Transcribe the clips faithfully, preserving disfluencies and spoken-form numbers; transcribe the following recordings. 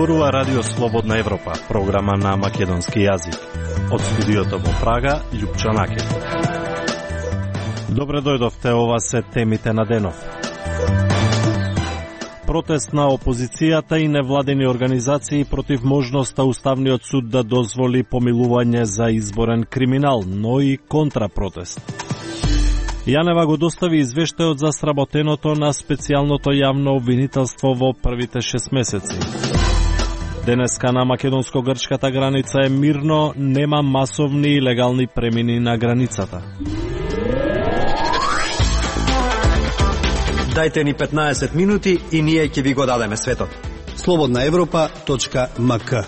Зборува Радио Слободна Европа, програма на македонски јазик. Од студиото во Прага, Љупчо Накев. Добре дојдовте, ова се темите на денов. Протест на опозицијата и невладени организации против можноста Уставниот суд да дозволи помилување за изборен криминал, но и контрапротест. Јанева го достави извештајот за сработеното на специјалното јавно обвинителство во првите шест месеци. Денеска на македонско-грчката граница е мирно, нема масовни и легални премини на границата. Дајте ни петнаесет минути и ние ќе ви го дадеме светот. слободна европа точка ем ка.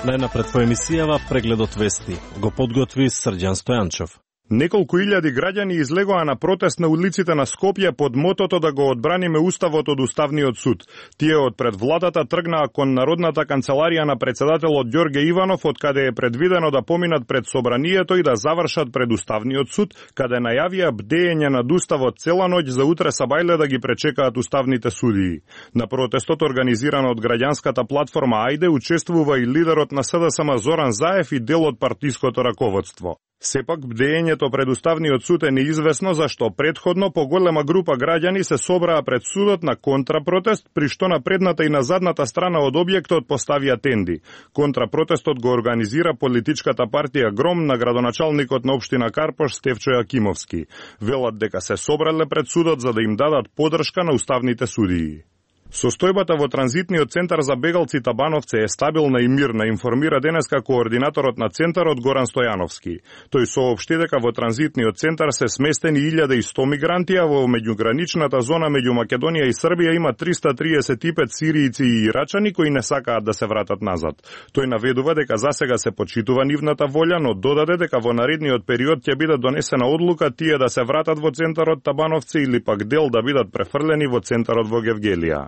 Најнапред во емисијава прегледот вести. Го подготви Срđan Стојанчов. Неколку илјади граѓани излегоа на протест на улиците на Скопје под мотото да го одбраниме уставот од Уставниот суд. Тие од пред владата тргнаа кон Народната канцеларија на председателот Ѓорге Иванов, од каде е предвидено да поминат пред собранието и да завршат пред Уставниот суд, каде најавија бдеење над уставот цела ноќ за утре сабајле да ги пречекаат уставните судии. На протестот организиран од граѓанската платформа Ајде учествува и лидерот на С Д С М Зоран Заев и дел од партиското раководство. Сепак, бдеењето пред Уставниот суд е неизвестно зашто предходно поголема група граѓани се собраа пред судот на контрапротест, при што на предната и на задната страна од објектот поставија тенди. Контрапротестот го организира политичката партија Гром на градоначалникот на општина Карпош Стефчо Јакимовски. Велат дека се собрале пред судот за да им дадат поддршка на уставните судии. Состојбата во транзитниот центар за бегалци Табановце е стабилна и мирна, информира денеска координаторот на центарот Горан Стојановски. Тој соопшти дека во транзитниот центар се сместени илјада и сто мигранти, а во меѓуграничната зона меѓу Македонија и Србија има триста триесет и пет сиријци и ирачани кои не сакаат да се вратат назад. Тој наведува дека засега се почитува нивната волја, но додаде дека во наредниот период ќе биде донесена одлука тие да се вратат во центарот Табановце или пак дел да бидат префрлени во центарот во Гевгелија.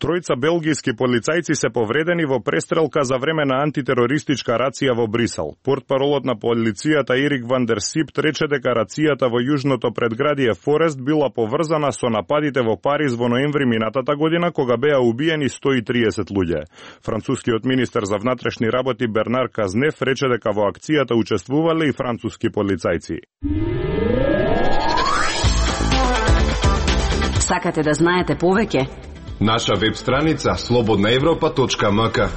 Тројца белгијски полицајци се повредени во престрелка за време на антитерористичка рација во Брисел. Портпаролот на полицијата Ерик Ван дер Сипт рече дека рацијата во јужното предградие Форест била поврзана со нападите во Париз во ноември минатата година, кога беа убиени сто и триесет луѓе. Францускиот министер за внатрешни работи Бернар Казнеф рече дека во акцијата учествувале и француски полицајци. Сакате да знаете повеќе? Наша веб страница слободна европа точка ем ка.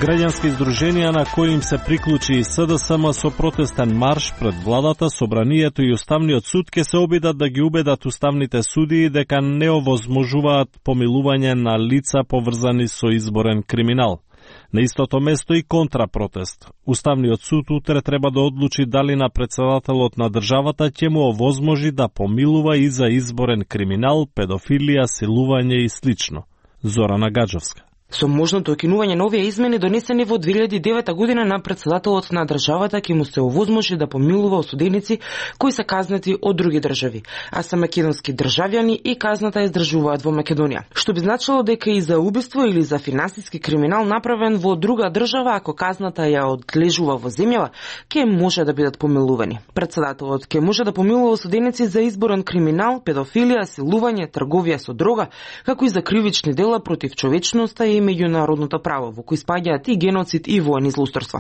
Граѓански издруженија на кои им се приклучи и С Д С М со протестен марш пред владата, собранието и Уставниот суд ќе се обидат да ги убедат уставните судии дека не овозможуваат помилување на лица поврзани со изборен криминал. На истото место и контрапротест. Уставниот суд утре треба да одлучи дали на председателот на државата ќе му овозможи да помилува и за изборен криминал, педофилија, силување и слично. Зорана Гаджовска. Со можното окинување на овие измени донесени во две илјади и девета година на председателот на државата ќе му се овозможи да помилува осуденици кои се казнати од други држави, а се македонски државјани и казната издржуваат во Македонија. Што би значило дека и за убиство или за финансиски криминал направен во друга држава, ако казната ја одлежува во земјава, ќе може да бидат помилувани. Председателот ќе може да помилува осуденици за изборен криминал, педофилија, силување, трговија со дрога, како и за кривични дела против човечноста и меѓународното право, во кои спаѓаат и геноцид и воени злоусторства.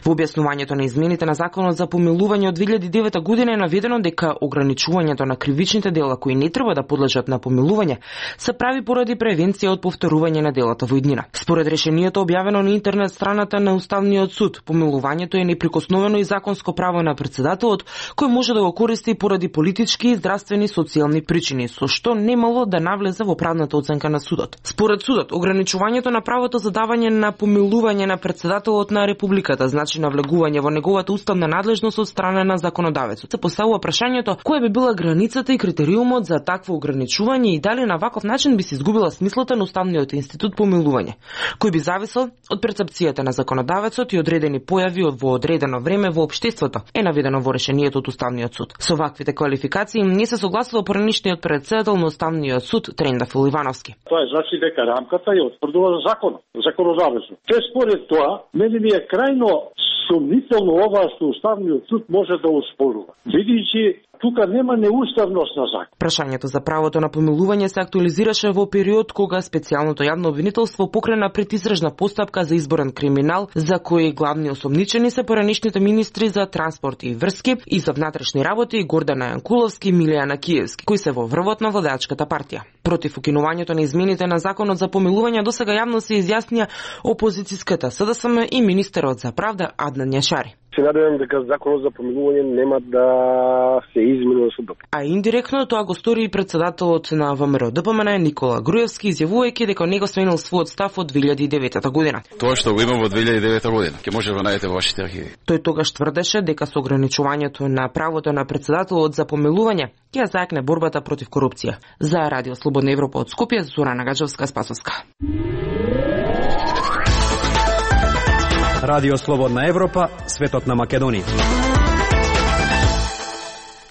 Во објаснувањето на измените на законот за помилување од две илјади и девета година е наведено дека ограничувањето на кривичните дела кои не треба да подлежат на помилување се прави поради превенција од повторување на делата во иднина. Според решението објавено на интернет страната на Уставниот суд, помилувањето е неприкосновено и законско право на председателот, кој може да го користи поради политички, здравствени, социјални причини, со што немало да навлезе во правната оценка на судот. Според судот, ограничувањето на правото за давање на помилување на председателот на републиката, значи навлегување во неговата уставна надлежност од страна на законодавецот. Се поставува прашањето која би била границата и критериумот за такво ограничување и дали на ваков начин би се изгубила смислата на уставниот институт помилување, кој би зависел од перцепцијата на законодавецот и одредени појави во одредено време во општеството, е наведено во решението од Уставниот суд. Со ваквите квалификации не се согласува поранишниот председател на Уставниот суд Трендафил Ивановски. Тоа е значи дека рамката ја утврдува законот, законодавецот. Те според тоа, мене ми е крајно сумнително ова што Уставниот суд може да оспорува. Видијќи Тука нема неуставност на закон. Прашањето за правото на помилување се актуализираше во период кога специјалното јавно обвинителство покрена предистрежна постапка за изборен криминал, за кој главни осомничени се поранишните министри за транспорт и врски и за внатрешни работи Гордана Јанкуловски и Милијана Киевски, кои се во врвот на владеачката партија. Против укинувањето на измените на законот за помилување досега јавно се изјаснија опозицијската СДСМ и министерот за правда Аднан Јашари. Се надевам дека законот за помилување нема да се измени со доп. А индиректно тоа го стори и председателот на ВМРО Д П М Н Никола Груевски, изјавувајќи дека него сменил својот став од две илјади и девета година. Тоа што го има во две илјади и девета година, ќе може да најдете во вашите архиви. Тој тогаш тврдеше дека со ограничувањето на правото на председателот за помилување ќе зајакне борбата против корупција. За Радио Слободна Европа од Скопје, Зорана Гаджевска-Спасовска. Радио Слободна Европа, светот на Македонија.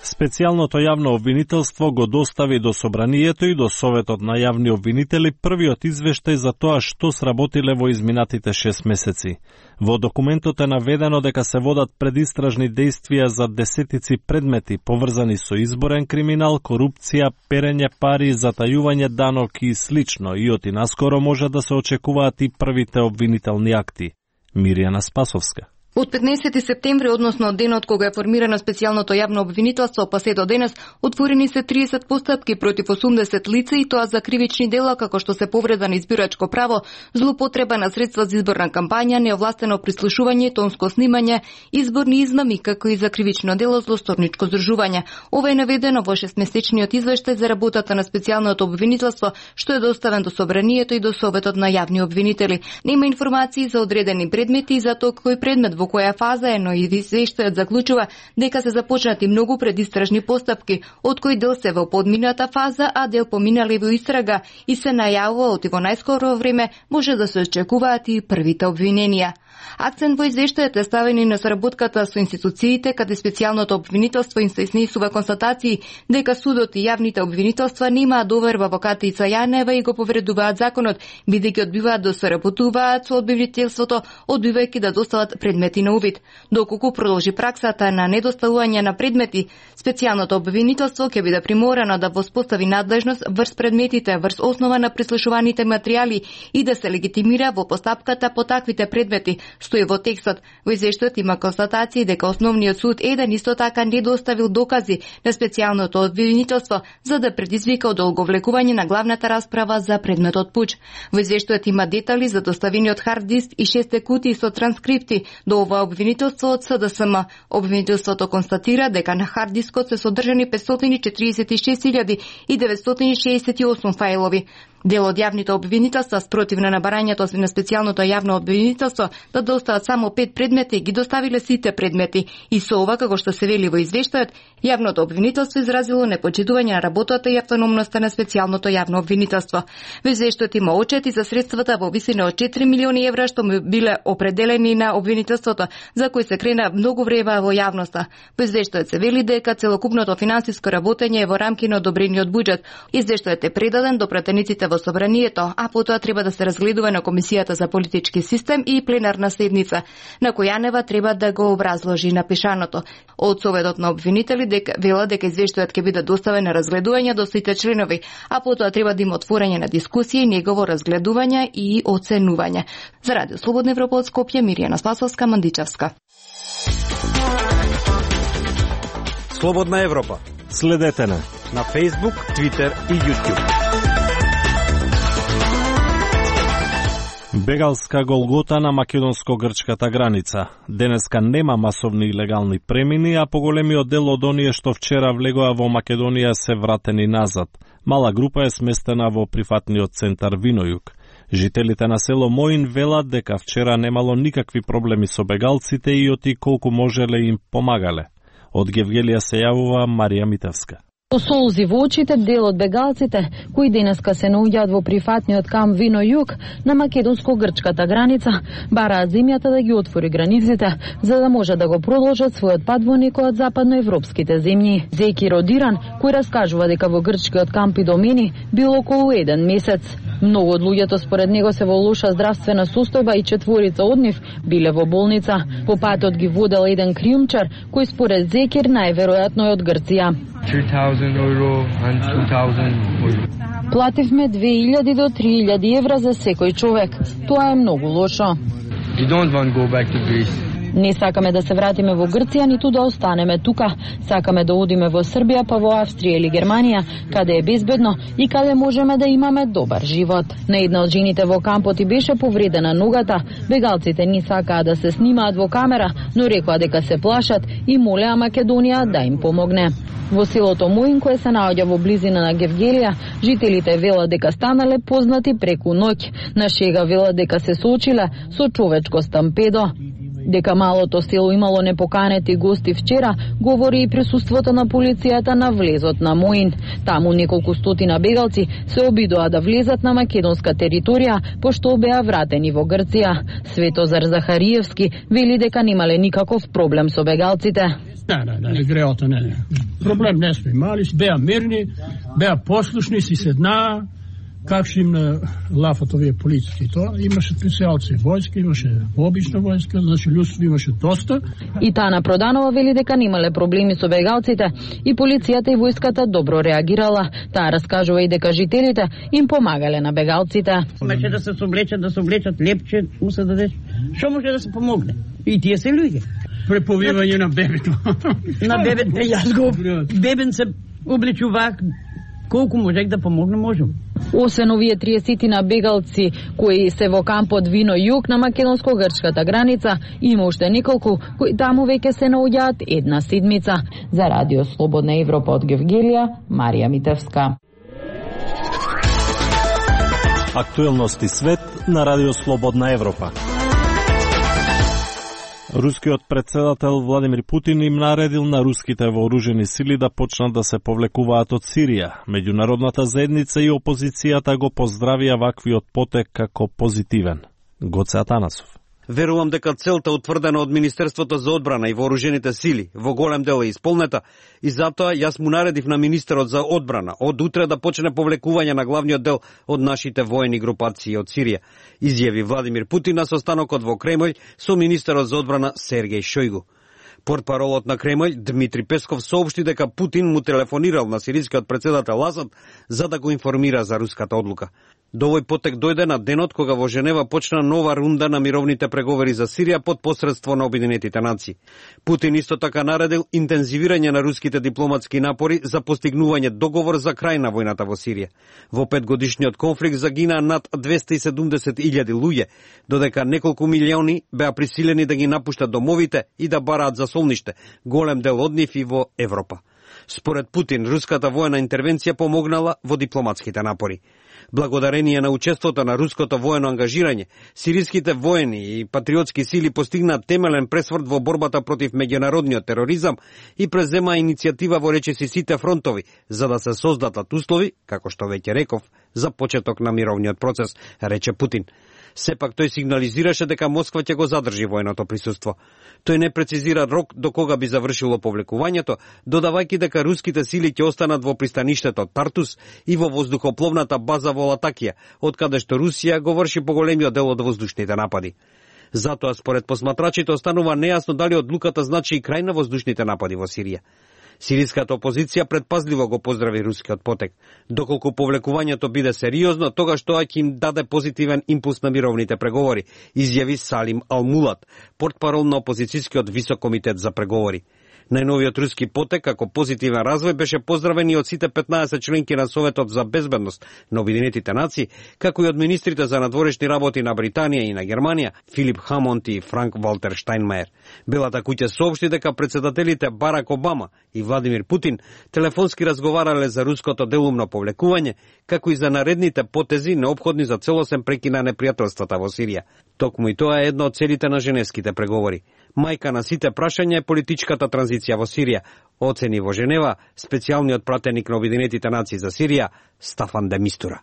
Специјалното јавно обвинителство го достави до Собранието и до Советот на јавни обвинители првиот извештај за тоа што сработиле во изминатите шест месеци. Во документот е наведено дека се водат предистражни дејствија за десетици предмети поврзани со изборен криминал, корупција, перење пари, затајување данок и слично, и оти наскоро може да се очекуваат и првите обвинителни акти. Миријана Спасовска. Од петнаесети септември, односно од денот кога е формирано специјалното јавно обвинителство, па се до денес, отворени се триесет постапки против осумдесет лица и тоа за кривични дела како што се повреда на избирачко право, злоупотреба на средства за изборна кампања, неовластено прислушување, тонско снимање, изборни измами, како и за кривично дело злосторничко здржување. Ова е наведено во шестмесечниот извештај за работата на специјалното обвинителство, што е доставен до Собранието и до Советот на јавни обвинители. Нема информации за одредени предмети и за тоа кој предмет во која фаза е, но и извештајот заклучува дека се започнати многу предистражни постапки, од кои дел се во подмината фаза, а дел поминали во истрага и се најавува оти во најскоро време може да се очекуваат и првите обвиненија. Акцент во извештајот е ставен и на соработката со институциите, каде специјалното обвинителство им се изнесува констатации дека судот и јавните обвинителства немаат доверба во Катица Јанева и го повредуваат законот, бидејќи одбиваат да соработуваат со обвинителството, одбивајќи да достават предмети на увид. Доколку продолжи праксата на недоставување на предмети, специјалното обвинителство ќе биде приморано да воспостави надлежност врз предметите, врз основа на прислушуваните материјали и да се легитимира во постапката по таквите предмети. Стои во текстот. Во извештајот има констатации дека основниот суд еден исто така не доставил докази на специјалното обвинителство за да предизвика одолговлекување на главната расправа за предметот пуч. Во извештајот има детали за доставениот хард диск и шест кутии со транскрипти до ова обвинителство од СДСМ. Обвинителството констатира дека на хард дискот се содржани петстотини и четиридесет и шест илјади и деветстотини шеесет и осум фајлови. Дел од јавните обвинителства спротив на набарањето на специјалното јавно обвинителство да достават само пет предмети, ги доставиле сите предмети. И со ова, како што се вели во извештајот, јавното обвинителство изразило непочитување на работата и автономноста на специјалното јавно обвинителство. Во извештајот има отчети за средствата во висина од четири милиони евра што му биле определени на обвинителството, за кои се крена многу време во јавноста. Во извештајот се вели дека целокупното финансиско работење е во рамки на одобрениот буџет. Извештајот е предаден до пратениците во Собранието, а потоа треба да се разгледува на Комисијата за политички систем и пленарна седница, на која Јанева треба да го образложи напишаното. Од Советот на обвинители дека вела дека извештајот ќе биде доставен на разгледување до сите членови, а потоа треба да има отворање на дискусија и негово разгледување и оценување. За Радио Слободна Европа од Скопје, Миријана Спасовска, Мандичевска. Слободна Европа. Следете на на Facebook, Twitter и YouTube. Бегалска голгота на македонско-грчката граница. Денеска нема масовни илегални премини, а поголемиот дел од оние што вчера влегоа во Македонија се вратени назад. Мала група е сместена во прифатниот центар Винојук. Жителите на село Моин велат дека вчера немало никакви проблеми со бегалците и оти колку можеле им помагале. Од Гевгелија се јавува Марија Митевска. Со солзи во очите, дел од бегалците, кои денеска се наоѓаат во прифатниот камп Вино Југ на македонско-грчката граница, бараат земјата да ги отвори границите, за да може да го продолжат својот пат во некои од западноевропските земји. Зеки Родиран, кој раскажува дека во грчкиот камп Идомени бил околу еден месец. Многу од луѓето според него се во лоша здравствена состојба и четворица од нив биле во болница. По патот ги водел еден криумчар, кој според Зекир најверојатно е од Грција. Плативме две илјади до три илјади евра за секој човек. Тоа е многу лошо. Не сакаме да се вратиме во Грција, ниту да останеме тука. Сакаме да одиме во Србија, па во Австрија или Германија, каде е безбедно и каде можеме да имаме добар живот. На една од жените во кампот и беше повредена ногата. Бегалците не сакаа да се снимаат во камера, но рекоа дека се плашат и молеа Македонија да им помогне. Во селото Моин, кое се наоѓа во близина на Гевгелија, жителите велат дека станале познати преку ноќ. На шега велат дека се соочиле со човечко стампедо. Дека малото село имало непоканети гости вчера, говори и присуството на полицијата на влезот на Моин. Таму неколку стотина бегалци се обидоа да влезат на македонска територија, пошто беа вратени во Грција. Светозар Захариевски вели дека немале никаков проблем со бегалците. Не, не, не, греото не, не. Проблем не сме имали, беа мирни, беа послушни, си седнаа, как ще им лафат овие полициски. Тоа имаше специјалци војска, имаше обична војска, значи луѓето имаше доста. И Тана Проданова вели дека немале проблеми со бегалците и полицијата и војската добро реагирала. Таа раскажува и дека жителите им помагале на бегалците. Имаше да се соблечат, да се облечат лепче, му се даде. Што може да се помогне? И тие се луѓе. Преповивање на бебето. На бебето, јас го бебен се облечува. Колку можех да помогне, можем. Освен овие триесетина бегалци кои се во кампот Вино Југ на македонско-грчката граница, има уште неколку кои таму веќе се наоѓаат една седмица. За Радио Слободна Европа од Гевгелија, Марија Митевска. Актуелности свет на Радио Слободна Европа. Рускиот председател Владимир Путин им наредил на руските вооружени сили да почнат да се повлекуваат од Сирија. Меѓународната заедница и опозицијата го поздравија ваквиот потек како позитивен. Гоце Атанасов. Верувам дека целта утврдена од Министерството за одбрана и вооружените сили во голем дел е исполнета и затоа јас му наредив на министерот за одбрана од утре да почне повлекување на главниот дел од нашите воени групации од Сирија, изјави Владимир Путин на состанокот во Кремљ со министерот за одбрана Сергеј Шојгу. Портпаролот на Кремљ Дмитри Песков соопшти дека Путин му телефонирал на сирискиот председател Асад за да го информира за руската одлука. До овој потек дојде на денот кога во Женева почна нова рунда на мировните преговори за Сирија под посредство на Обединетите нации. Путин исто така наредил интензивирање на руските дипломатски напори за постигнување договор за крај на војната во Сирија. Во петгодишниот конфликт загинаа над двесте и седумдесет илјади луѓе, додека неколку милиони беа присилени да ги напуштат домовите и да бараат засолниште, голем дел од нив и во Европа. Според Путин, руската воена интервенција помогнала во дипломатските напори. Благодарение на учеството на руското воено ангажирање, сириските воени и патриотски сили постигнаат темелен пресврт во борбата против меѓународниот тероризам и презема иницијатива во речиси сите фронтови, за да се создадат услови, како што веќе реков, за почеток на мировниот процес, рече Путин. Сепак тој сигнализираше дека Москва ќе го задржи военото присуство. Тој не прецизира рок до кога би завршило повлекувањето, додавајќи дека руските сили ќе останат во пристаништето Тартус и во воздухопловната база во Латакија, од каде што Русија го врши поголемиот дел од воздушните напади. Затоа, според посматрачите, останува нејасно дали одлуката значи и крај на воздушните напади во Сирија. Сириската опозиција предпазливо го поздрави рускиот потек. Доколку повлекувањето биде сериозно, тогаш тоа ќе им даде позитивен импулс на мировните преговори, изјави Салим Алмулат, портпарол на опозицијскиот висок комитет за преговори. Најновиот руски потек како позитивен развој беше поздравен и од сите петнаесет членки на Советот за безбедност на Обединетите нации, како и од министрите за надворешни работи на Британија и на Германија, Филип Хамонд и Франк Валтер Штајнмајер. Белата куќа соопшти дека председателите Барак Обама и Владимир Путин телефонски разговарале за руското делумно повлекување, како и за наредните потези неопходни за целосен прекин на непријателствата во Сирија. Токму и тоа е едно од целите на женевските преговори. Мајка на сите прашања е политичката транзиција во Сирија, оцени во Женева специјалниот пратеник на Обединетите нации за Сирија Стафан де Мистура.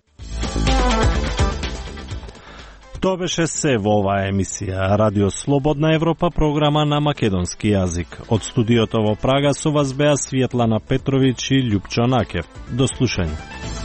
Тоа беше се во оваа емисија Радио Слободна Европа, програма на македонски јазик. Од студиото во Прага со вас беа Светлана Петровиќ и Љупчо Накев. До слушање.